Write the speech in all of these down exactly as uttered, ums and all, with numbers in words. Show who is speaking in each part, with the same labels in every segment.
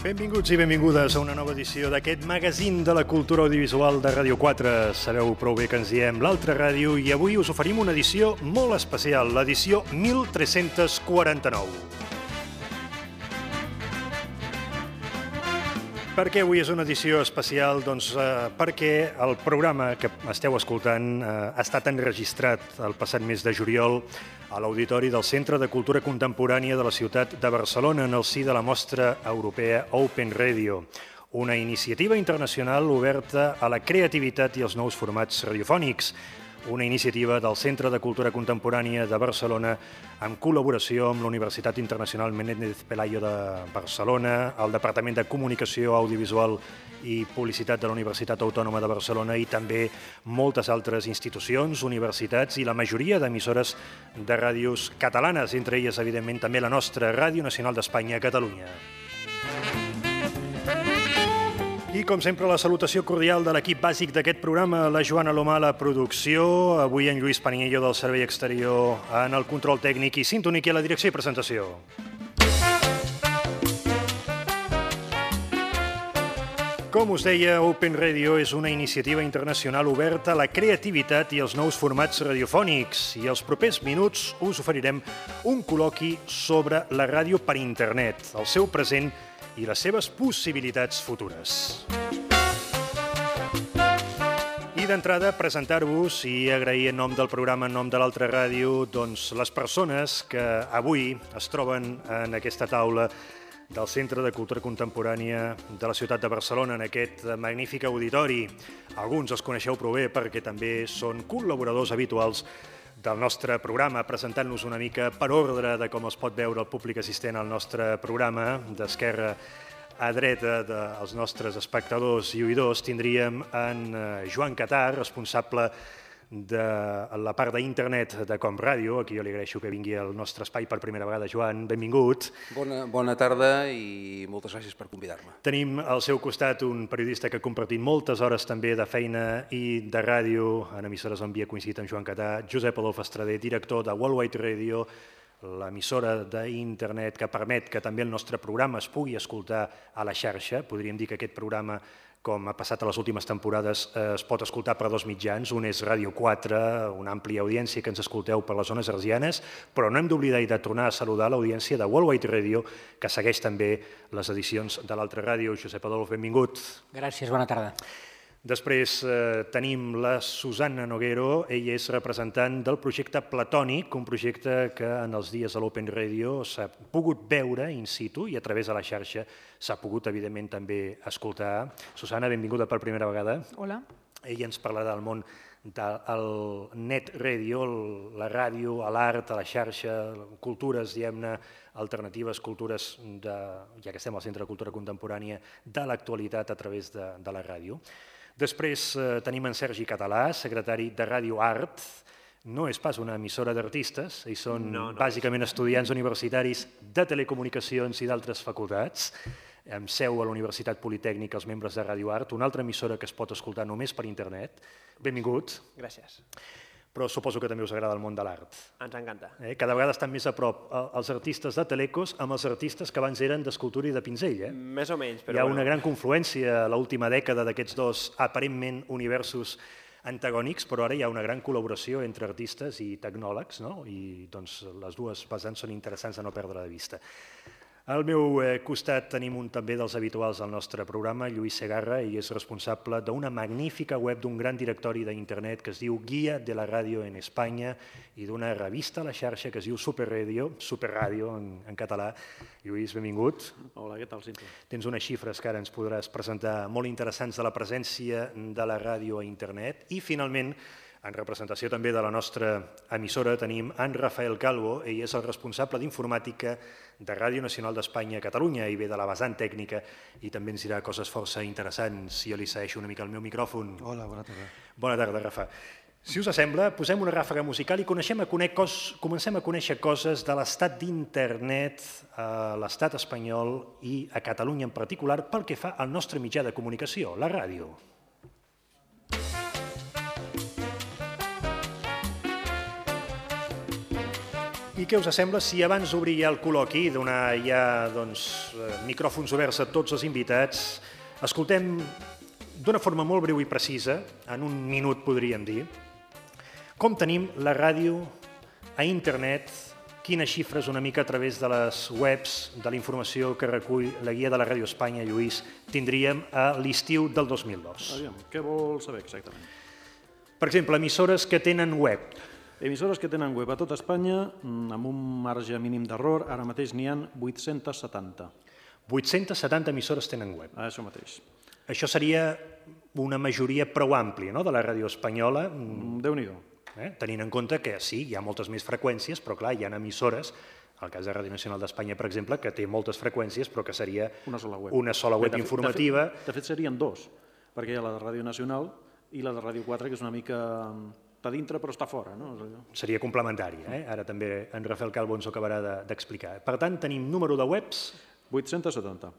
Speaker 1: Benvinguts i benvingudes a una nova edició d'aquest magazín de la cultura audiovisual de Ràdio quatre. Sabeu prou bé que ens diem l'altra ràdio i avui us oferim una edició molt especial, l'edició mil tres-cents quaranta-nou. Per què avui és una edició especial? Doncs eh, perquè el programa que esteu escoltant eh, ha estat enregistrat el passat mes de juliol a l'Auditori del Centre de Cultura Contemporània de la ciutat de Barcelona en el si de la mostra europea Open Radio, una iniciativa internacional oberta a la creativitat i als nous formats radiofònics, una iniciativa del Centre de Cultura Contemporània de Barcelona en col·laboració amb la Universitat Internacional Menéndez Pelayo de Barcelona, el Departament de Comunicació Audiovisual i Publicitat de la Universitat Autònoma de Barcelona i també moltes altres institucions, universitats i la majoria d'emissores de ràdios catalanes, entre elles, evidentment, també la nostra Ràdio Nacional d'Espanya a Catalunya. I, com sempre, la salutació cordial de l'equip bàsic d'aquest programa, la Joana Lomà a la producció, avui en Lluís Paniello del Servei Exterior en el control tècnic i Sintonic i a la direcció i presentació. Com us deia, Open Radio és una iniciativa internacional oberta a la creativitat i als nous formats radiofònics i els propers minuts us oferirem un col·loqui sobre la ràdio per internet, el seu present i les seves possibilitats futures. I d'entrada, presentar-vos i agrair en nom del programa, en nom de l'altra ràdio, doncs les persones que avui es troben en aquesta taula del Centre de Cultura Contemporània de la ciutat de Barcelona, en aquest magnífic auditori. Alguns els coneixeu prou bé perquè també són col·laboradors habituals del nostre programa, presentant-nos una mica per ordre de com es pot veure el públic assistent al nostre programa. D'esquerra a dreta dels nostres espectadors i oïdors tindríem en Joan Catar, responsable de la part d'internet de Com Ràdio. Aquí jo li agraeixo que vingui al nostre espai per primera vegada. Joan, benvingut.
Speaker 2: Bona, bona tarda i moltes gràcies per convidar-me.
Speaker 1: Tenim al seu costat un periodista que ha compartit moltes hores també de feina i de ràdio en emissores on havia coincidit amb Joan Catar, Josep Adolf Estrader, director de Worldwide Radio, l'emissora d'internet que permet que també el nostre programa es pugui escoltar a la xarxa. Podríem dir que aquest programa, com ha passat a les últimes temporades, es pot escoltar per dos mitjans. Un és Ràdio quatre, una àmplia audiència que ens escolteu per les zones hertzianes, però no hem d'oblidar i de tornar a saludar l'audiència de Worldwide Radio, que segueix també les edicions de l'altra ràdio. Josep Adolf, benvingut.
Speaker 3: Gràcies, bona tarda.
Speaker 1: Després eh, tenim la Susana Noguero, ella és representant del projecte Platònic, un projecte que en els dies de l'Open Radio s'ha pogut veure in situ i a través de la xarxa s'ha pogut, evidentment, també escoltar. Susana, benvinguda per primera vegada.
Speaker 4: Hola.
Speaker 1: Ella ens parlarà del món del net radio, la ràdio, l'art, a la xarxa, cultures, diguem-ne, alternatives, cultures, de, ja que estem al Centre de Cultura Contemporània, de l'actualitat a través de, de la ràdio. Després eh, tenim en Sergi Català, secretari de Ràdio Art. No és pas una emissora d'artistes, ells són no, no bàsicament és. estudiants universitaris de telecomunicacions i d'altres facultats, amb seu a la Universitat Politècnica, els membres de Ràdio Art, una altra emissora que es pot escoltar només per internet. Benvingut.
Speaker 5: Gràcies.
Speaker 1: Però suposo que també us agrada el món de l'art.
Speaker 5: Ens encanta.
Speaker 1: Eh? Cada vegada estan més a prop els artistes de telecos amb els artistes que abans eren d'escultura i de pinzell. Eh?
Speaker 5: Més o menys, però
Speaker 1: Hi ha
Speaker 5: bueno.
Speaker 1: una gran confluència a l'última dècada d'aquests dos aparentment universos antagònics, però ara hi ha una gran col·laboració entre artistes i tecnòlegs, no? I doncs, les dues vessants són interessants de no perdre de vista. Al meu costat tenim un també dels habituals del nostre programa, Lluís Segarra, i és responsable d'una magnífica web, d'un gran directori d'internet que es diu Guia de la Ràdio en Espanya i d'una revista a la xarxa que es diu Superradio, Superradio en, en català. Lluís, benvingut.
Speaker 5: Hola, què tal, Cinto?
Speaker 1: Tens unes xifres que ara ens podràs presentar molt interessants de la presència de la ràdio a internet. I finalment, en representació també de la nostra emissora, tenim en Rafael Calvo. Ell és el responsable d'informàtica de Ràdio Nacional d'Espanya a Catalunya i ve de la vessant tècnica i també ens dirà coses força interessants. Jo li segueixo una mica el meu micròfon.
Speaker 2: Hola, bona tarda.
Speaker 1: Bona tarda, Rafa. Si us sembla, posem una ràfaga musical i coneixem a conèixer cos, comencem a conèixer coses de l'estat d'internet a l'estat espanyol i a Catalunya en particular pel que fa al nostre mitjà de comunicació, la ràdio. I què us sembla si abans d'obrir ja el col·loqui i donar ja doncs, micròfons oberts a tots els invitats, escoltem d'una forma molt breu i precisa, en un minut podríem dir, com tenim la ràdio a internet, quines xifres una mica a través de les webs, de la informació que recull la guia de la Ràdio Espanya, Lluís, tindríem a l'estiu del dos mil dos.
Speaker 3: Aviam, què vol saber exactament?
Speaker 1: Per exemple, emissores que tenen web.
Speaker 3: Emissores que tenen web a tot Espanya, amb un marge mínim d'error, ara mateix n'hi ha vuit-cents setanta.
Speaker 1: vuit-cents setanta emissores tenen web.
Speaker 3: Això mateix.
Speaker 1: Això seria una majoria prou àmplia, no?, de la ràdio espanyola.
Speaker 3: Déu-n'hi-do.
Speaker 1: Eh? Tenint en compte que sí, hi ha moltes més freqüències, però clar, hi ha emissores, el cas de Ràdio Nacional d'Espanya, per exemple, que té moltes freqüències, però que seria
Speaker 3: una sola web,
Speaker 1: una sola web
Speaker 3: de fet,
Speaker 1: informativa.
Speaker 3: De fet, de fet, serien dos, perquè hi ha la de Ràdio Nacional i la de Ràdio quatre, que és una mica... està dintre però està fora. No?
Speaker 1: Seria complementària, eh? Ara també en Rafael Calvo ens ho acabarà d'explicar. Per tant, tenim número de webs...
Speaker 3: vuit-cents setanta.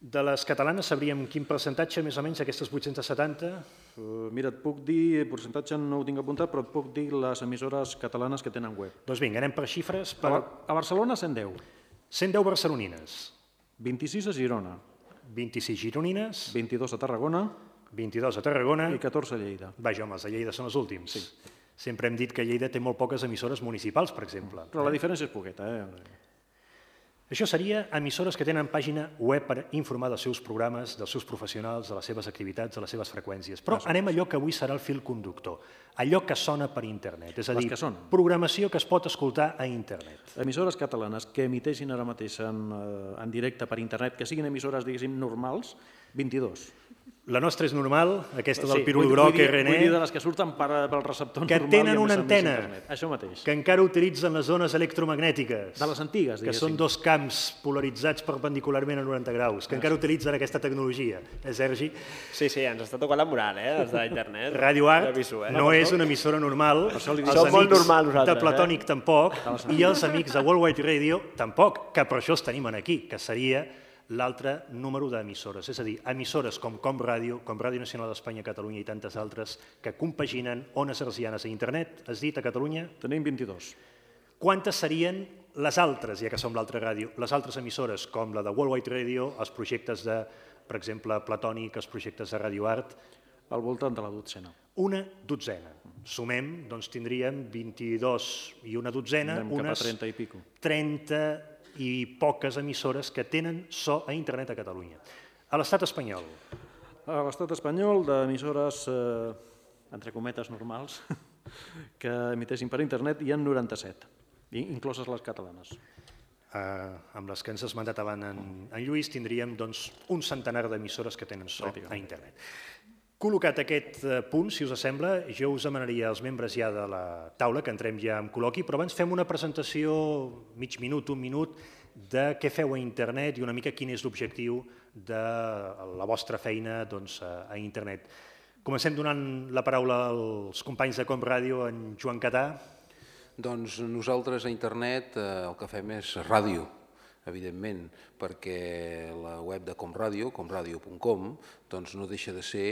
Speaker 1: De les catalanes sabríem quin percentatge, més o menys, d'aquestes vuit-cents setanta?
Speaker 3: Uh, mira, et puc dir, el percentatge no ho tinc apuntat, però et puc dir les emissores catalanes que tenen web.
Speaker 1: Doncs vinga, anem per xifres. Per...
Speaker 3: A, a Barcelona, cent deu.
Speaker 1: cent deu barcelonines.
Speaker 3: vint-i-sis a Girona.
Speaker 1: vint-i-sis gironines.
Speaker 3: vint-i-dos a Tarragona.
Speaker 1: vint-i-dos a Tarragona.
Speaker 3: I catorze a Lleida.
Speaker 1: Vaja, home, els de Lleida són els últims.
Speaker 3: Sí.
Speaker 1: Sempre hem dit que Lleida té molt poques emissores municipals, per exemple.
Speaker 3: Però la diferència és poqueta, eh?
Speaker 1: Això seria emissores que tenen pàgina web per informar dels seus programes, dels seus professionals, de les seves activitats, de les seves freqüències. Però anem a allò que avui serà el fil conductor, allò que sona per internet, és a dir, programació que es pot escoltar a internet.
Speaker 3: Emissores catalanes que emiteixin ara mateix en, en directe per internet, que siguin emissores, diguéssim, normals, vint-i-dos.
Speaker 1: La nostra és normal, aquesta del pirul groc, R N E...
Speaker 3: Vull dir de les que surten pel receptor normal...
Speaker 1: Que tenen una antena,
Speaker 3: això mateix.
Speaker 1: Que encara utilitzen les zones electromagnètiques.
Speaker 3: De les antigues, diguéssim.
Speaker 1: Que són dos camps polaritzats perpendicularment a noranta graus, que encara utilitzen aquesta tecnologia. Eh, Sergi?
Speaker 4: Sí, sí, ens està tocant la moral, eh, els d'internet.
Speaker 1: Radio Art no és una emissora normal, els amics de Platònic tampoc, i els amics de World Wide Radio tampoc, que per això els tenim aquí, que seria l'altre número d'emissores, és a dir, emissores com Com Ràdio, com Ràdio Nacional d'Espanya, Catalunya i tantes altres que compaginen ones hertzianes a internet, has dit, a Catalunya?
Speaker 3: Tenim vint-i-dos.
Speaker 1: Quantes serien les altres, ja que som l'altra ràdio, les altres emissores com la de World Wide Radio, els projectes de, per exemple, Platònic, els projectes de Radio Art?
Speaker 3: Al voltant de la dotzena.
Speaker 1: Una dotzena. Sumem, doncs tindríem vint-i-dos i una dotzena,
Speaker 3: unes cap a trenta i pico.
Speaker 1: trenta i poques emissores que tenen so a internet a Catalunya. A l'estat espanyol?
Speaker 3: A l'estat espanyol, d'emissores, eh, entre cometes, normals, que emiteixin per internet, hi ha noranta-set, incloses les catalanes.
Speaker 1: Uh, amb les que ens has mandat abans en, en Lluís, tindríem doncs, un centenar d'emissores que tenen so a internet. Col·locat aquest punt, si us sembla, jo us demanaria als membres ja de la taula, que entrem ja en col·loqui, però abans fem una presentació, mig minut, un minut, de què feu a internet i una mica quin és l'objectiu de la vostra feina doncs, a internet. Comencem donant la paraula als companys de Com Ràdio, en Joan Catà.
Speaker 2: Doncs nosaltres a internet el que fem és ràdio, evidentment, perquè la web de Com Ràdio, comradio punt com, doncs no deixa de ser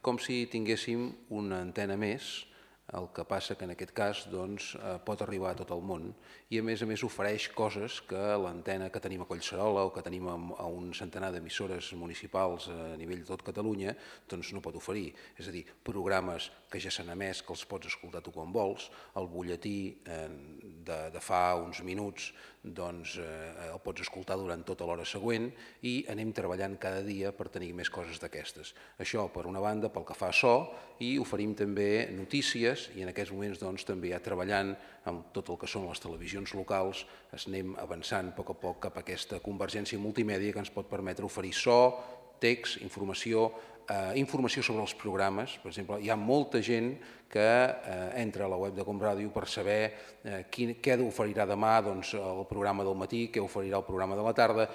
Speaker 2: com si tinguéssim una antena més, el que passa que en aquest cas doncs, pot arribar a tot el món i a més a més ofereix coses que l'antena que tenim a Collserola o que tenim a un centenar d'emissores municipals a nivell de tot Catalunya doncs no pot oferir. És a dir, programes que ja s'han emès, que els pots escoltar tu quan vols, el butlletí de, de fa uns minuts doncs, eh, el pots escoltar durant tota l'hora següent i anem treballant cada dia per tenir més coses d'aquestes. Això per una banda pel que fa a so i oferim també notícies i en aquests moments doncs, també ja treballant amb tot el que són les televisions locals es anem avançant a poc a poc cap a aquesta convergència multimèdia que ens pot permetre oferir so, text, informació, eh, informació sobre els programes. Per exemple, hi ha molta gent que eh, entra a la web de Com Ràdio per saber eh, quin, què oferirà demà doncs, el programa del matí, què oferirà el programa de la tarda,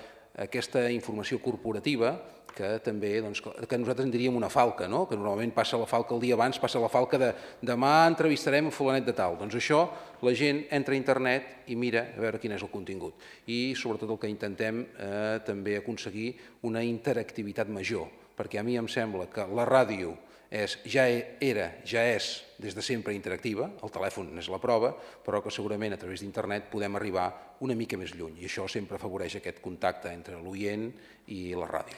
Speaker 2: aquesta informació corporativa que també doncs, que nosaltres en diríem una falca, no? Que normalment passa la falca el dia abans, passa la falca de demà entrevistarem a fulanet de tal. Doncs això la gent entra a internet i mira a veure quin és el contingut. I sobretot el que intentem eh, també aconseguir una interactivitat major, perquè a mi em sembla que la ràdio és, ja era, ja és des de sempre interactiva, el telèfon és la prova, però que segurament a través d'internet podem arribar una mica més lluny i això sempre afavoreix aquest contacte entre l'oient i la ràdio.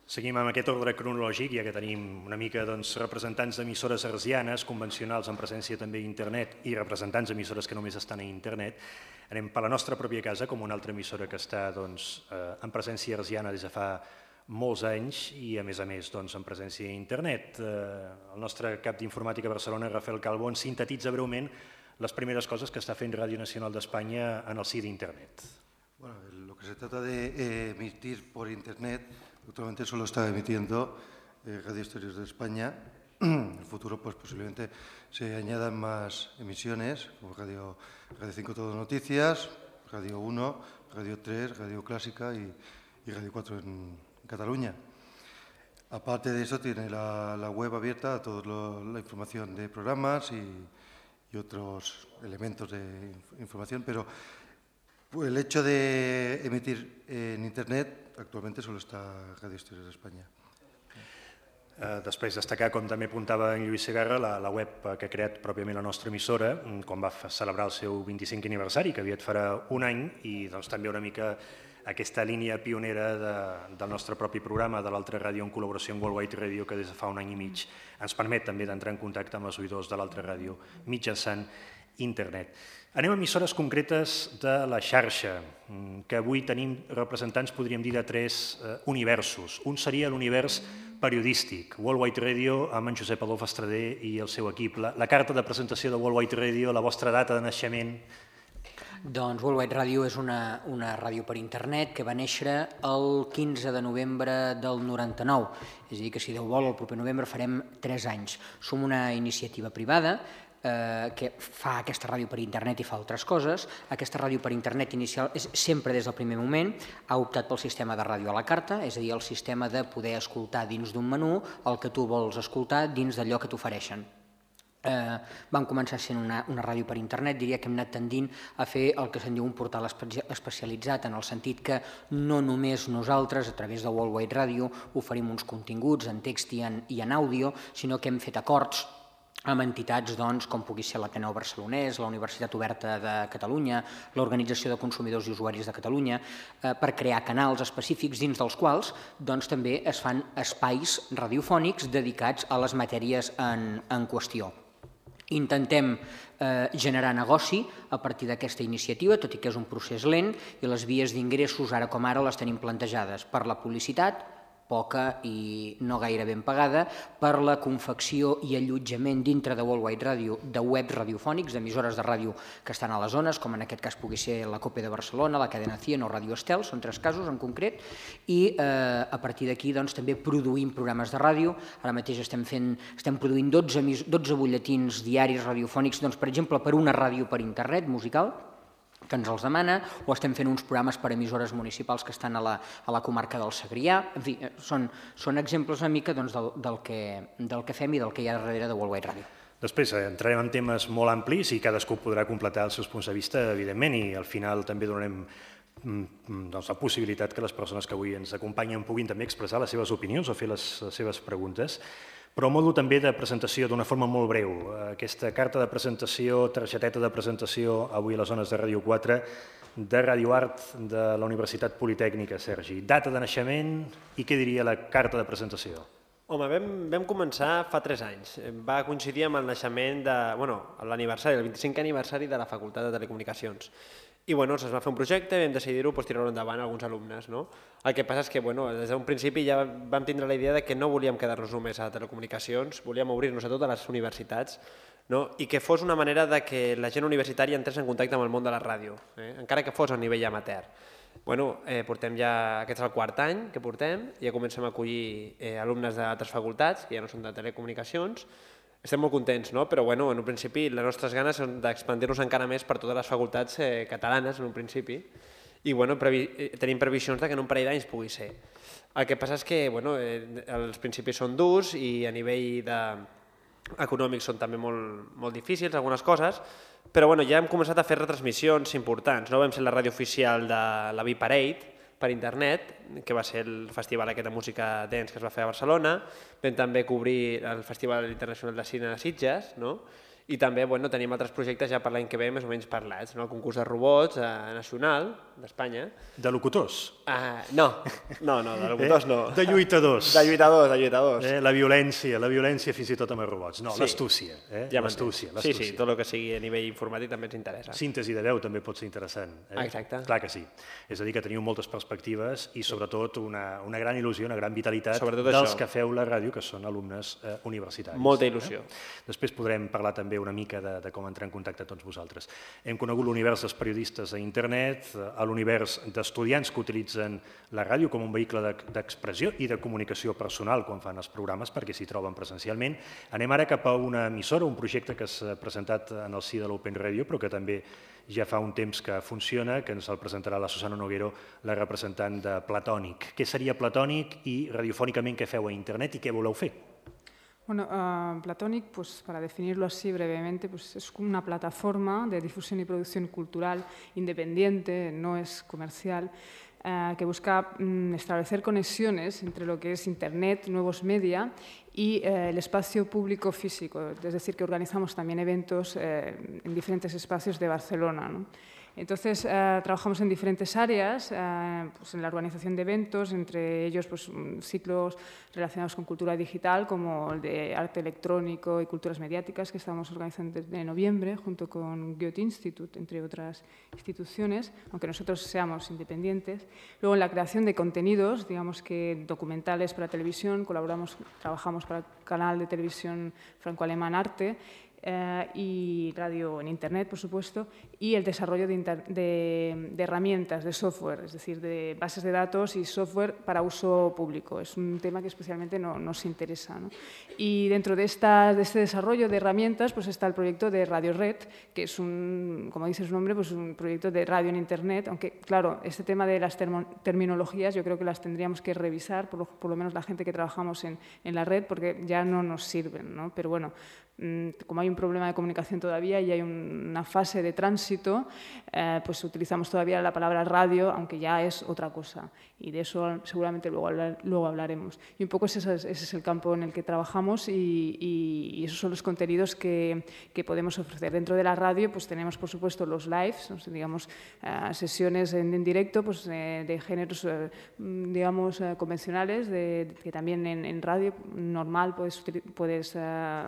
Speaker 1: Seguim amb aquest ordre cronològic, ja que tenim una mica doncs, representants d'emissores hertzianes, convencionals amb presència també a internet i representants d'emissores que només estan a internet. Anem per la nostra pròpia casa, com una altra emissora que està doncs, eh, en presència hertziana des de fa molts anys i, a més a més, doncs, en presència a internet. Eh, el nostre cap d'informàtica a Barcelona, Rafael Calvo, ens sintetitza breument les primeres cosas que está haciendo Radio Nacional de España en el sí de Internet.
Speaker 5: Bueno, lo que se trata de eh, emitir por Internet, actualmente solo está emitiendo eh, Radio Exteriores de España. En el futuro, pues posiblemente se añadan más emisiones, como Radio, Radio cinco Todo Noticias, Radio uno, Radio tres, Radio Clásica y, y Radio cuatro en, en Cataluña. Aparte de eso, tiene la, la web abierta a toda la información de programas y, y otros elementos de información, pero el hecho de emitir en Internet actualmente solo está Radio Exteriores de España.
Speaker 1: Eh, després destacar, com també apuntava en Lluís Segarra, la, la web que ha creat pròpiament la nostra emissora, quan va celebrar el seu vint-i-cinquè aniversari, que aviat farà un any, i doncs, també una mica aquesta línia pionera de, del nostre propi programa, de l'altra ràdio en col·laboració amb Worldwide Radio, que des de fa un any i mig ens permet també d'entrar en contacte amb els oïdors de l'altra ràdio mitjançant internet. Anem a emissores concretes de la xarxa, que avui tenim representants, podríem dir, de tres eh, universos. Un seria l'univers periodístic, Worldwide Radio, amb en Josep Adolf Estrader i el seu equip. La, la carta de presentació de Worldwide Radio, la vostra data de naixement.
Speaker 6: Doncs Worldwide Radio és una, una ràdio per internet que va néixer el quinze de novembre del noranta-nou. És a dir, que si Déu vol, el proper novembre farem tres anys. Som una iniciativa privada eh, que fa aquesta ràdio per internet i fa altres coses. Aquesta ràdio per internet inicial és sempre des del primer moment ha optat pel sistema de ràdio a la carta, és a dir, el sistema de poder escoltar dins d'un menú el que tu vols escoltar dins d'allò que t'ofereixen. Eh, vam començar sent una, una ràdio per internet, diria que hem anat tendint a fer el que se'n diu un portal espe especialitzat, en el sentit que no només nosaltres, a través de Worldwide Radio, oferim uns continguts en text i en, i en àudio, sinó que hem fet acords amb entitats doncs, com pugui ser l'Ateneu Barcelonès, la Universitat Oberta de Catalunya, l'Organització de Consumidors i Usuaris de Catalunya, eh, per crear canals específics dins dels quals doncs, també es fan espais radiofònics dedicats a les matèries en, en qüestió. Intentem eh, generar negoci a partir d'aquesta iniciativa, tot i que és un procés lent, i les vies d'ingressos, ara com ara, les tenim plantejades per la publicitat, poca i no gaire ben pagada, per la confecció i allotjament dintre de Worldwide Radio de webs radiofònics, d'emissores de ràdio que estan a les zones, com en aquest cas pugui ser la COPE de Barcelona, la Cadena cien o Radio Estel, són tres casos en concret, i eh, a partir d'aquí doncs, també produïm programes de ràdio. Ara mateix estem, fent, estem produint dotze, dotze butlletins diaris radiofònics, doncs, per exemple, per una ràdio per internet musical, que ens els demana, o estem fent uns programes per emissores municipals que estan a la, a la comarca del Segrià. En fi, són, són exemples una mica doncs, del, del, que, del que fem i del que hi ha darrere de Worldwide Radio.
Speaker 1: Després entrarem en temes molt amplis i cadascú podrà completar els seus punts de vista, evidentment, i al final també donarem doncs, la possibilitat que les persones que avui ens acompanyen puguin també expressar les seves opinions o fer les, les seves preguntes. Però a modo també de presentació d'una forma molt breu. Aquesta carta de presentació, targeteta de presentació, avui a les zones de Ràdio quatre, de Radio Art de la Universitat Politècnica, Sergi. Data de naixement i què diria la carta de presentació?
Speaker 4: Home, vam, vam començar fa tres anys. Va coincidir amb el naixement de, bueno, l'aniversari, el vint-i-cinquè aniversari de la Facultat de Telecomunicacions. I bueno, es va fer un projecte, vam decidir-ho pues, tirar-ho endavant alguns alumnes. No? El que passa és que bueno, des d'un principi ja vam tindre la idea de que no volíem quedar-nos només a telecomunicacions, volíem obrir-nos a totes les universitats, no? I que fos una manera de que la gent universitària entrés en contacte amb el món de la ràdio, eh? encara que fos a nivell amateur. Bueno, eh, portem ja, aquest és el quart any que portem, ja comencem a acollir eh, alumnes d'altres facultats, que ja no són de telecomunicacions. Estem molt contents, no? Però bueno, en un principi les nostres ganes són d'expandir-nos encara més per totes les facultats eh, catalanes en un principi i bueno, previ tenim previsions de que en un parell d'anys pugui ser. El que passa és que bueno, eh, els principis són durs i a nivell de... econòmics són també molt, molt difícils, algunes coses, però bueno, ja hem començat a fer retransmissions importants. No? Vam ser la ràdio oficial de la V-Parade, per internet, que va ser el festival aquest de música dance que es va fer a Barcelona. Vam també cobrir el Festival Internacional de Cine de Sitges, no? I també bueno, tenim altres projectes ja per l'any que ve més o menys parlats, no? El concurs de robots eh, nacional d'Espanya.
Speaker 1: De locutors?
Speaker 4: Uh, no, no, no, de locutors
Speaker 1: eh?
Speaker 4: no.
Speaker 1: De lluitadors.
Speaker 4: De lluitadors, de lluitadors.
Speaker 1: Eh? La violència, la violència fins i tot amb els robots. No, sí. l'astúcia. Eh?
Speaker 4: Ja
Speaker 1: l'astúcia,
Speaker 4: sí, sí, tot el que sigui a nivell informàtic també ens interessa.
Speaker 1: Síntesi de veu també pot ser interessant. Eh?
Speaker 4: Exacte.
Speaker 1: Clar que sí. És a dir, que teniu moltes perspectives i sobretot una, una gran il·lusió, una gran vitalitat
Speaker 4: sobretot
Speaker 1: dels
Speaker 4: això.
Speaker 1: Que feu la ràdio, que són alumnes eh, universitaris.
Speaker 4: Molta il·lusió.
Speaker 1: Eh? Després podrem parlar també una mica de, de com entrar en contacte tots vosaltres. Hem conegut l'univers dels periodistes a internet, l'univers d'estudiants que utilitzen la ràdio com un vehicle d'expressió i de comunicació personal quan fan els programes perquè s'hi troben presencialment. Anem ara cap a una emissora, un projecte que s'ha presentat en el si de l'Open Radio, però que també ja fa un temps que funciona, que ens el presentarà la Susana Noguero, la representant de Platònic. Què seria Platònic i radiofònicament què feu a internet i què voleu fer?
Speaker 7: Bueno, uh, Platonic, pues, para definirlo así brevemente, pues, es una plataforma de difusión y producción cultural independiente, no es comercial, uh, que busca um, establecer conexiones entre lo que es Internet, nuevos media y uh, el espacio público físico, es decir, que organizamos también eventos uh, en diferentes espacios de Barcelona, ¿no? Entonces, eh, trabajamos en diferentes áreas, eh, pues en la organización de eventos, entre ellos pues, ciclos relacionados con cultura digital, como el de arte electrónico y culturas mediáticas, que estamos organizando desde noviembre, junto con Goethe Institute, entre otras instituciones, aunque nosotros seamos independientes. Luego, en la creación de contenidos, digamos que documentales para televisión, colaboramos, trabajamos para el canal de televisión franco-alemán Arte, Eh, y radio en Internet, por supuesto, y el desarrollo de, de, de herramientas, de software, es decir, de bases de datos y software para uso público. Es un tema que especialmente no, nos interesa, ¿no? Y dentro de, esta, de este desarrollo de herramientas pues está el proyecto de Radio Red, que es, un, como dice su nombre, pues un proyecto de radio en Internet, aunque, claro, este tema de las terminologías yo creo que las tendríamos que revisar, por lo, por lo menos la gente que trabajamos en, en la red, porque ya no nos sirven, ¿no? Pero bueno, como hay un problema de comunicación todavía y hay una fase de tránsito, eh, pues utilizamos todavía la palabra radio, aunque ya es otra cosa. Y de eso seguramente luego, hablar, luego hablaremos. Y un poco ese es, ese es el campo en el que trabajamos y, y, y esos son los contenidos que, que podemos ofrecer. Dentro de la radio pues tenemos, por supuesto, los lives, digamos, eh, sesiones en, en directo pues, eh, de géneros, eh, digamos, eh, convencionales, de, que también en, en radio normal puedes... puedes eh,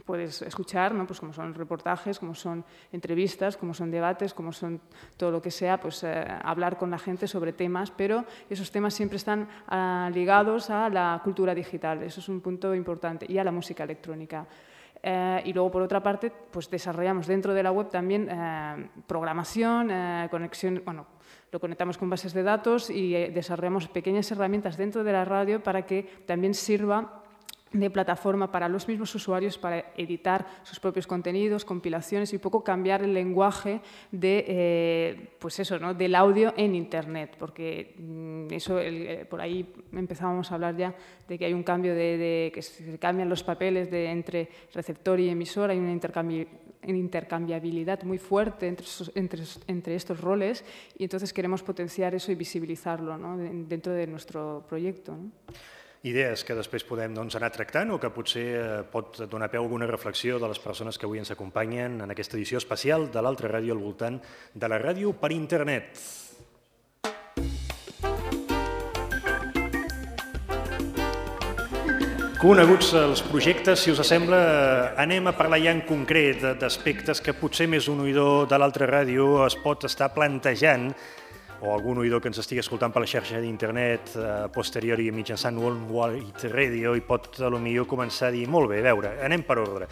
Speaker 7: puedes escuchar, ¿no? Pues como son reportajes, como son entrevistas, como son debates, como son todo lo que sea, pues eh, hablar con la gente sobre temas, pero esos temas siempre están uh, ligados a la cultura digital, eso es un punto importante, y a la música electrónica. Eh, y luego, por otra parte, pues desarrollamos dentro de la web también eh, programación, eh, conexión, bueno, lo conectamos con bases de datos y eh, desarrollamos pequeñas herramientas dentro de la radio para que también sirva de plataforma para los mismos usuarios para editar sus propios contenidos, compilaciones y un poco cambiar el lenguaje de, eh, pues eso, ¿no? del audio en Internet, porque eso, el, por ahí empezábamos a hablar ya de que hay un cambio de, de que se cambian los papeles de, entre receptor y emisor, hay una intercambi intercambiabilidad muy fuerte entre, entre, entre estos roles y entonces queremos potenciar eso y visibilizarlo, ¿no? dentro de nuestro proyecto, ¿no?
Speaker 1: Idees que després podem doncs, anar tractant o que potser eh, pot donar peu a alguna reflexió de les persones que avui ens acompanyen en aquesta edició especial de l'Altra Ràdio al voltant de la ràdio per internet. Coneguts els projectes, si us sembla, anem a parlar ja en concret d'aspectes que potser més un oïdor de l'Altra Ràdio es pot estar plantejant o algun oïdor que ens estigui escoltant per la xarxa d'internet eh, posteriori mitjançant Worldwide Radio i pot potser començar a dir molt bé, a veure, anem per ordre.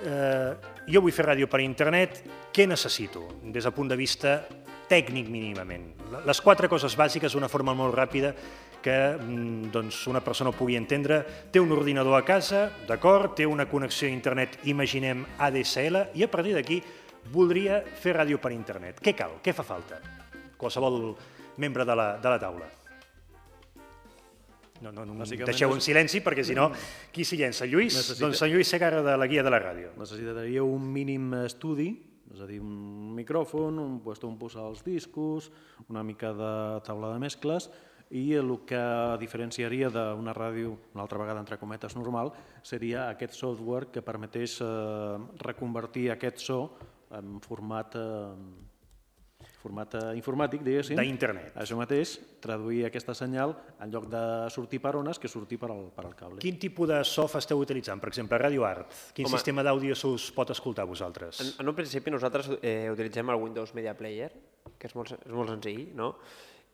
Speaker 1: Eh, jo vull fer ràdio per internet, què necessito des del punt de vista tècnic mínimament? Les quatre coses bàsiques d'una forma molt ràpida que doncs, una persona ho pugui entendre. Té un ordinador a casa, d'acord, té una connexió a internet, imaginem A D S L, i a partir d'aquí voldria fer ràdio per internet. Què cal? Què fa falta? Qualsevol membre de la, de la taula. No, no, no deixeu en silenci perquè si no, qui s'hi llença? Lluís? Necessita... Doncs en Lluís Segarra de la Guia de la Ràdio.
Speaker 3: Necessitaria un mínim estudi és a dir, un micròfon, un puesto on posar els discos, una mica de taula de mescles, i el que diferenciaria d'una ràdio, una altra vegada entre cometes normal, seria aquest software que permetés reconvertir aquest so en format format informàtic, diguéssim.
Speaker 1: D'internet.
Speaker 3: Això mateix, traduir aquesta senyal en lloc de sortir per ones que sortir per al cable.
Speaker 1: Quin tipus de soft esteu utilitzant? Per exemple, Radio Art. Quin sistema d'àudio us pot escoltar vosaltres?
Speaker 4: En un principi nosaltres utilitzem el Windows Media Player, que és molt senzill, no?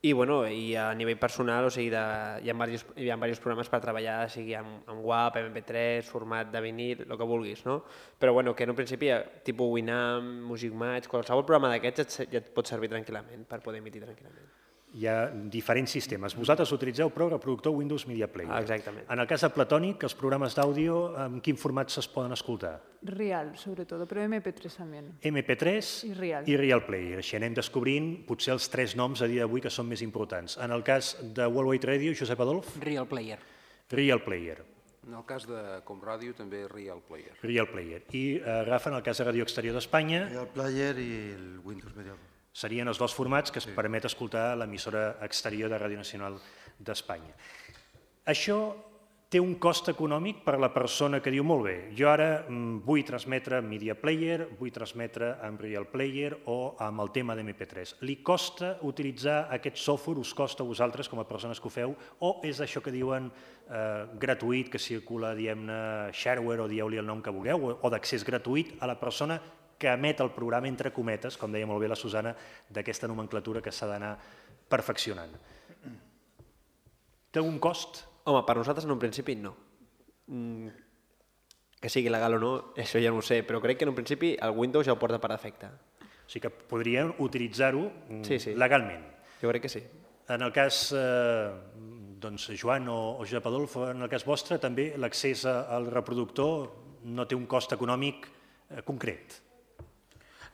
Speaker 4: I, bueno, i a nivell personal, o sigui, hi ha diversos programes per treballar, sigui amb W A V, M P tres, format de vinil, el que vulguis, no? Però, bueno, que en un principi, tipus Winamp, Music Match, qualsevol programa d'aquests ja et pot servir tranquil·lament per poder emitir tranquil·lament.
Speaker 1: Hi ha diferents sistemes. Vosaltres utilitzeu, però, el reproductor Windows Media Player.
Speaker 4: Exactament.
Speaker 1: En el cas de Platonic, els programes d'àudio, en quin format es poden escoltar?
Speaker 7: Real, sobretot, però M P tres també.
Speaker 1: M P tres
Speaker 7: i Real.
Speaker 1: I Real Player. Així anem descobrint potser els tres noms a dia d'avui que són més importants. En el cas de Worldwide Radio, Josep Adolf?
Speaker 6: Real Player.
Speaker 1: Real Player.
Speaker 2: En el cas de Comràdio també Real Player.
Speaker 1: Real Player. I agafen el cas de Radio Exterior d'Espanya.
Speaker 5: Real Player i el Windows Media Player.
Speaker 1: Serien els dos formats que es permet escoltar l'emissora exterior de Ràdio Nacional d'Espanya. Això té un cost econòmic per a la persona que diu, molt bé, jo ara vull transmetre amb Media Player, vull transmetre amb Real Player o amb el tema d'M P tres. Li costa utilitzar aquest software, us costa a vosaltres com a persones que ho feu, o és això que diuen gratuït, que circula, diguem-ne, shareware o dieu-li el nom que vulgueu, o d'accés gratuït a la persona que emet el programa, entre cometes, com deia molt bé la Susana, d'aquesta nomenclatura que s'ha d'anar perfeccionant. Té algun cost?
Speaker 4: Home, per nosaltres en un principi no. Que sigui legal o no, això ja no ho sé, però crec que en un principi el Windows ja ho porta per defecte.
Speaker 1: O sigui que podrien utilitzar-ho legalment.
Speaker 4: Jo crec que sí.
Speaker 1: En el cas, doncs, Joan o Josep Adolf, en el cas vostre, també l'accés al reproductor no té un cost econòmic concret.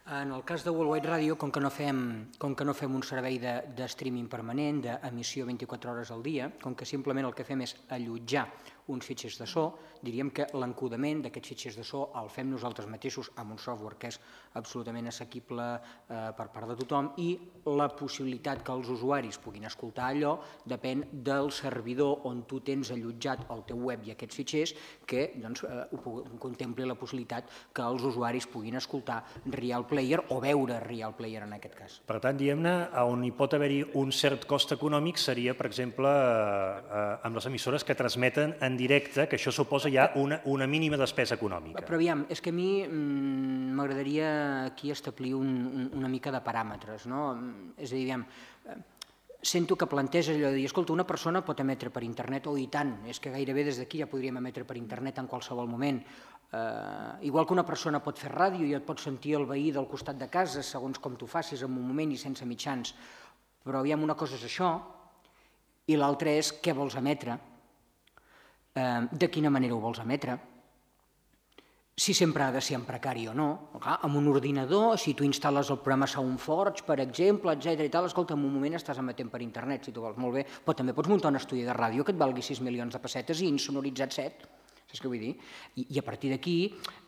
Speaker 6: En el cas de Worldwide Radio, com que no fem, com que no fem un servei de, de streaming permanent, d'emissió vint-i-quatre hores al dia, com que simplement el que fem és allotjar uns fitxers de so, diríem que l'encodament d'aquests fitxers de so el fem nosaltres mateixos amb un software que és absolutament assequible eh, per part de tothom, i la possibilitat que els usuaris puguin escoltar allò depèn del servidor on tu tens allotjat el teu web i aquests fitxers, que doncs, eh, contempli la possibilitat que els usuaris puguin escoltar Real Player o veure Real Player en aquest cas.
Speaker 1: Per tant, diguem-ne, on hi pot haver-hi un cert cost econòmic seria, per exemple, amb les emissores que transmeten en directe, que això suposa ja una, una mínima despesa econòmica.
Speaker 6: Però aviam, és que a mi m'agradaria aquí establir un, un, una mica de paràmetres, no? És a dir, aviam, sento que planteja allò de dir, escolta, una persona pot emetre per internet, o i tant, és que gairebé des d'aquí ja podríem emetre per internet en qualsevol moment. Uh, igual que una persona pot fer ràdio i et pot sentir el veí del costat de casa segons com tu facis en un moment i sense mitjans, però aviam, una cosa és això i l'altra és què vols emetre, uh, de quina manera ho vols emetre, si sempre ha de ser en precari o no. Clar, amb un ordinador, si tu instal·les el programa SoundForge, per exemple, etcètera i tal, escolta, en un moment estàs emetent per internet, si tu vols, molt bé, però també pots muntar un estudi de ràdio que et valgui sis milions de pessetes i insonoritzat set. Saps què vull dir? I, i a partir d'aquí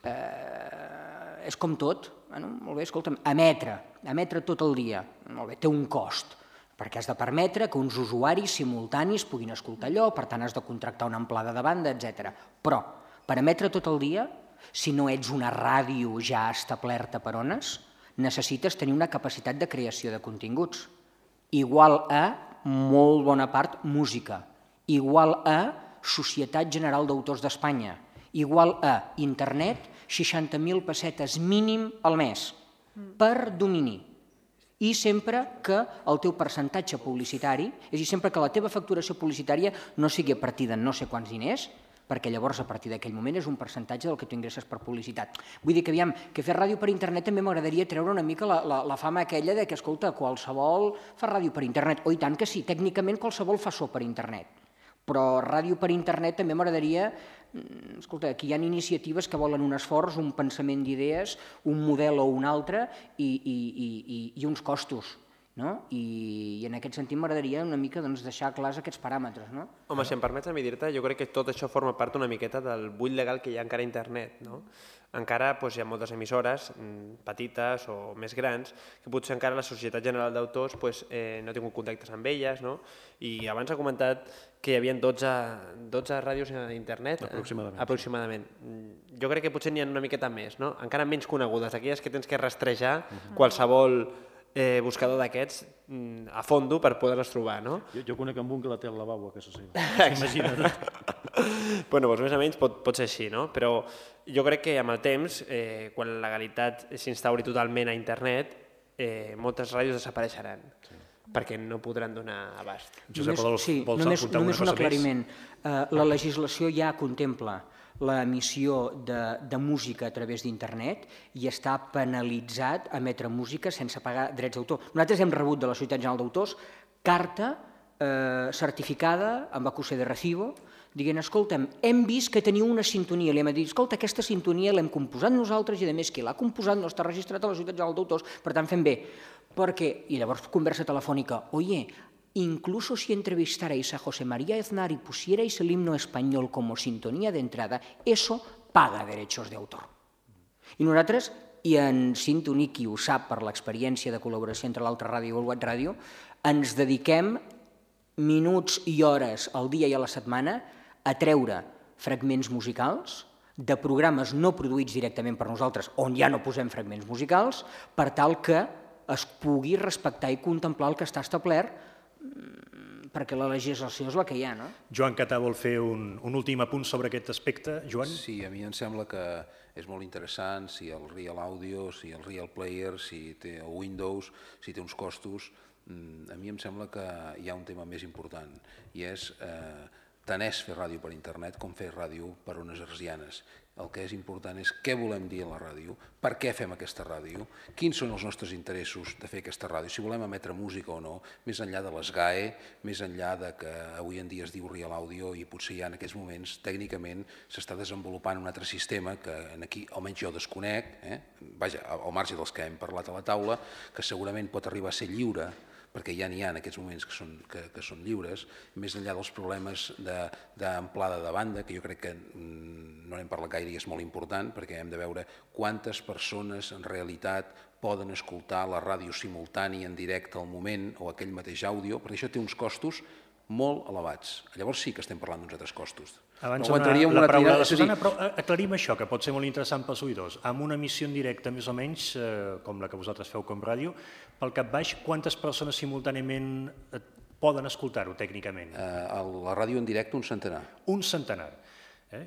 Speaker 6: eh, és com tot. Bueno, molt bé, escolta'm, emetre, emetre tot el dia, molt bé, té un cost, perquè has de permetre que uns usuaris simultanis puguin escoltar allò, per tant has de contractar una amplada de banda, etcètera. Però, per emetre tot el dia, si no ets una ràdio ja establerta per ones, necessites tenir una capacitat de creació de continguts, igual a, molt bona part, música, igual a Societat General d'Autors d'Espanya, igual a internet, seixanta mil pessetes mínim al mes, per domini. I sempre que el teu percentatge publicitari, és a dir, sempre que la teva facturació publicitària no sigui a partir de no sé quants diners, perquè llavors a partir d'aquell moment és un percentatge del que tu ingresses per publicitat. Vull dir que, aviam, que fer ràdio per internet també m'agradaria treure una mica la, la, la fama aquella de que, escolta, qualsevol fa ràdio per internet, o i tant que sí, tècnicament qualsevol fa so per internet. Però ràdio per internet també m'agradaria, escolta, aquí hi ha iniciatives que volen un esforç, un pensament d'idees, un model o un altre i, i, i, i uns costos. no? I, i en aquest sentit m'agradaria una mica doncs, deixar clars aquests paràmetres. No?
Speaker 4: Home, si em permets a mi dir-te, jo crec que tot això forma part una miqueta del buit legal que hi ha encara a internet. No? Encara doncs, hi ha moltes emissores mm, petites o més grans que potser encara la Societat General d'Autors pues, eh, no ha tingut contactes amb elles, no? I abans ha comentat que hi havia dotze, dotze ràdios a internet.
Speaker 3: Aproximadament.
Speaker 4: Eh, aproximadament. Jo crec que potser n'hi ha una miqueta més, no? Encara menys conegudes, aquelles que tens que rastrejar uh-huh. qualsevol eh, buscador d'aquests mm, a fondo per poder-les trobar, no?
Speaker 3: Jo, jo conec amb un que la té al lavabo a casa seva. Imagina't.
Speaker 4: Bueno, doncs més o menys pot, pot ser així, no? Però jo crec que amb el temps, eh, quan la legalitat s'instauri totalment a internet, eh, moltes ràdios desapareixeran. Sí. Perquè no podran donar abast.
Speaker 1: Josep,
Speaker 6: només,
Speaker 1: vols,
Speaker 6: sí,
Speaker 1: vols
Speaker 6: només,
Speaker 1: apuntar
Speaker 6: només
Speaker 1: una
Speaker 6: un
Speaker 1: cosa
Speaker 6: aclariment. Uh, la legislació ja contempla l'emissió de, de música a través d'internet i està penalitzat emetre música sense pagar drets d'autor. Nosaltres hem rebut de la Societat General d'Autors carta eh, certificada amb acusé de recibo dient, escolta'm, hem vist que teniu una sintonia. Li hem dit, escolta, aquesta sintonia l'hem composat nosaltres i, a més, qui l'ha composat no està registrat a la Societat General d'Autors, per tant, fem bé. Perquè, i llavors conversa telefònica, oye, incluso si entrevistarais a José María Aznar y pusierais el himno español como sintonía de entrada, eso paga derechos de autor. I nosaltres, i en Sintoni, qui ho sap per l'experiència de col·laboració entre l'altra ràdio i el Web Ràdio, ens dediquem minuts i hores al dia i a la setmana a treure fragments musicals de programes no produïts directament per nosaltres, on ja no posem fragments musicals, per tal que es pugui respectar i contemplar el que està establert, perquè la legislació és la que hi ha, no?
Speaker 1: Joan Catà vol fer un, un últim apunt sobre aquest aspecte. Joan?
Speaker 2: Sí, a mi em sembla que és molt interessant si el Real Audio, si el Real Player, si té el Windows, si té uns costos. A mi em sembla que hi ha un tema més important i és eh, tant és fer ràdio per internet com fer ràdio per ones hertzianes. El que és important és què volem dir a la ràdio, per què fem aquesta ràdio, quins són els nostres interessos de fer aquesta ràdio, si volem emetre música o no, més enllà de les G A E, més enllà de que avui en dia es diu Real Audio i potser ja en aquests moments tècnicament s'està desenvolupant un altre sistema que aquí almenys jo desconec, eh? Vaja, al marge dels que hem parlat a la taula, que segurament pot arribar a ser lliure, perquè ja n'hi ha en aquests moments que són, que, que són lliures, més enllà dels problemes d'amplada de, de banda, que jo crec que no n'hem parlat gaire i és molt important, perquè hem de veure quantes persones en realitat poden escoltar la ràdio simultània en directe al moment o aquell mateix àudio, perquè això té uns costos molt elevats. Llavors sí que estem parlant d'uns altres costos.
Speaker 1: Abans no una, la paraula de la Susana, però aclarim això, que pot ser molt interessant pels oïdors. Amb una emissió en directe, més o menys, eh, com la que vosaltres feu com ràdio, pel cap baix, quantes persones simultàniament poden escoltar-ho tècnicament?
Speaker 2: Eh, a la ràdio en directe, un centenar.
Speaker 1: Un centenar. Eh?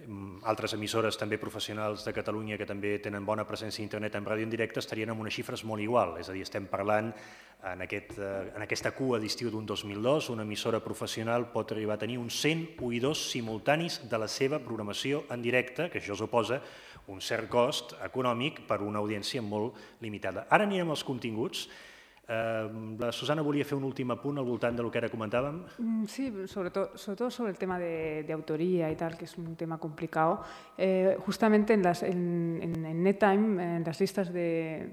Speaker 1: Altres emissores també professionals de Catalunya que també tenen bona presència a internet en ràdio en directe estarien amb unes xifres molt igual, és a dir, estem parlant en, aquest, en aquesta cua d'estiu d'un dos mil dos, una emissora professional pot arribar a tenir uns cent oïdors simultanis de la seva programació en directe, que això suposa un cert cost econòmic per una audiència molt limitada. Ara anirem als continguts. La Susana volia fer un últim apunt al voltant del que ara comentàvem.
Speaker 7: Sí, sobretot, sobretot sobre el tema de, de autoría y tal, que es un tema complicado. Eh, justamente en, las, en, en, en NetTime, en las listas de,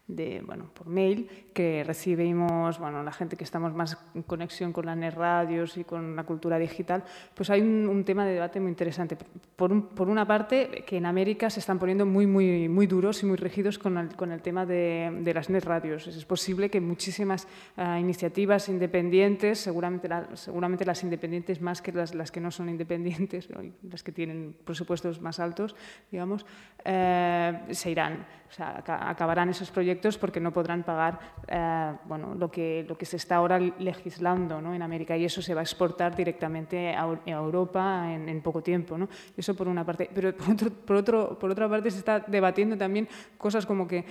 Speaker 7: de, bueno, por mail, que recibimos, bueno, la gente que estamos más en conexión con las net radios y con la cultura digital, pues hay un, un tema de debate muy interesante. Por, un, por una parte, que en América se están poniendo muy, muy, muy duros y muy rígidos con el, con el tema de, de las net radios. Es posible que muchísimas uh, iniciativas independientes, seguramente, la, seguramente las independientes más que las, las que no son independientes, ¿no? Las que tienen presupuestos más altos, digamos, eh, se irán. O sea, acabarán esos proyectos porque no podrán pagar eh, bueno, lo, que, lo que se está ahora legislando, ¿no? En América, y eso se va a exportar directamente a, a Europa en, en poco tiempo, ¿no? Eso por una parte. Pero por, otro, por, otro, por otra parte se está debatiendo también cosas como que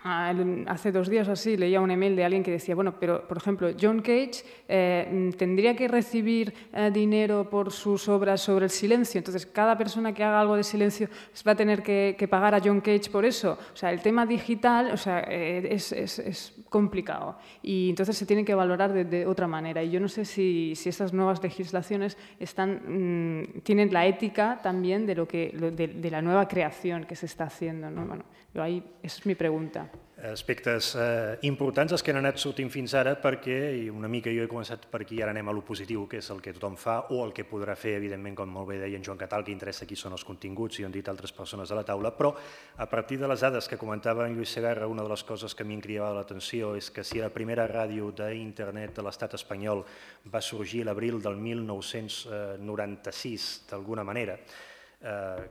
Speaker 7: hace dos días así leía un email de alguien que decía, bueno, pero por ejemplo, John Cage eh, tendría que recibir eh, dinero por sus obras sobre el silencio, entonces cada persona que haga algo de silencio va a tener que, que pagar a John Cage por eso. O sea, el tema digital, o sea, eh, es, es, es complicado y entonces se tiene que valorar de, de otra manera. Y yo no sé si, si estas nuevas legislaciones están, mmm, tienen la ética también de, lo que, de, de la nueva creación que se está haciendo, ¿no? Bueno, yo ahí, esa es mi pregunta.
Speaker 1: aspectes eh, importants els que han anat sortint fins ara perquè, i una mica jo he començat per aquí, ara anem a lo positiu, que és el que tothom fa, o el que podrà fer, evidentment, com molt bé deia en Joan Catal, el que interessa aquí són els continguts, i ho han dit altres persones de la taula, però a partir de les dades que comentava en Lluís Segarra, una de les coses que a mi em cridava l'atenció és que si la primera ràdio d'internet de l'estat espanyol va sorgir l'abril del mil nou-cents noranta-sis, d'alguna manera,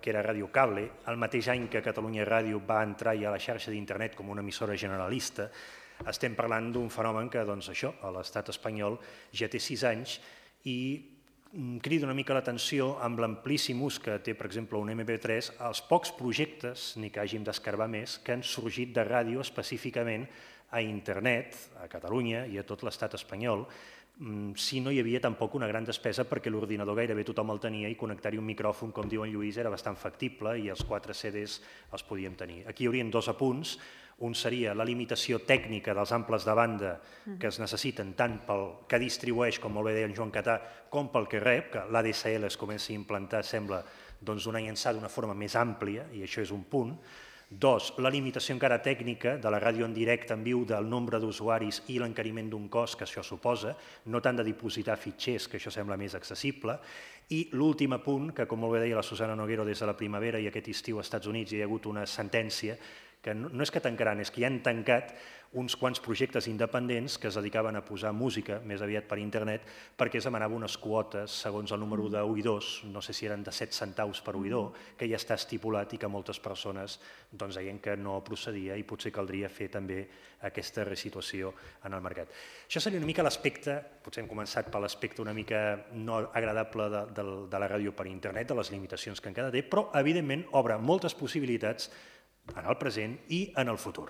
Speaker 1: que era Ràdio Cable, el mateix any que Catalunya Ràdio va entrar ja a la xarxa d'internet com una emissora generalista, estem parlant d'un fenomen que, doncs això, a l'estat espanyol ja té sis anys i crida una mica l'atenció amb l'amplíssim ús que té, per exemple, un eme pe tres, els pocs projectes, ni que hàgim d'escarbar més, que han sorgit de ràdio específicament a internet, a Catalunya i a tot l'estat espanyol, si no hi havia tampoc una gran despesa perquè l'ordinador gairebé tothom el tenia i connectar-hi un micròfon, com diu en Lluís, era bastant factible i els quatre ce des els podíem tenir. Aquí hi haurien dos apunts. Un seria la limitació tècnica dels amples de banda que es necessiten tant pel que distribueix, com molt bé deia en Joan Catà, com pel que rep, que l'A D S L es comença a implantar, sembla, d'una llançada d'una forma més àmplia, i això és un punt. Dos, la limitació encara tècnica de la ràdio en directe en viu del nombre d'usuaris i l'encariment d'un cost que això suposa, no tant de dipositar fitxers, que això sembla més accessible, i l'últim apunt, que com molt bé deia la Susana Noguero des de la primavera i aquest estiu als Estats Units hi ha hagut una sentència que no és que tancaran, és que ja han tancat uns quants projectes independents que es dedicaven a posar música, més aviat per internet, perquè es demanava unes quotes, segons el número d'oïdors, no sé si eren de set centaus per oïdor, que ja està estipulat i que moltes persones doncs, deien que no procedia i potser caldria fer també aquesta resituació en el mercat. Això seria una mica l'aspecte, potser hem començat per l'aspecte una mica no agradable de, de, de la ràdio per internet, de les limitacions que encara té, però evidentment obre moltes possibilitats en el present i en el futur.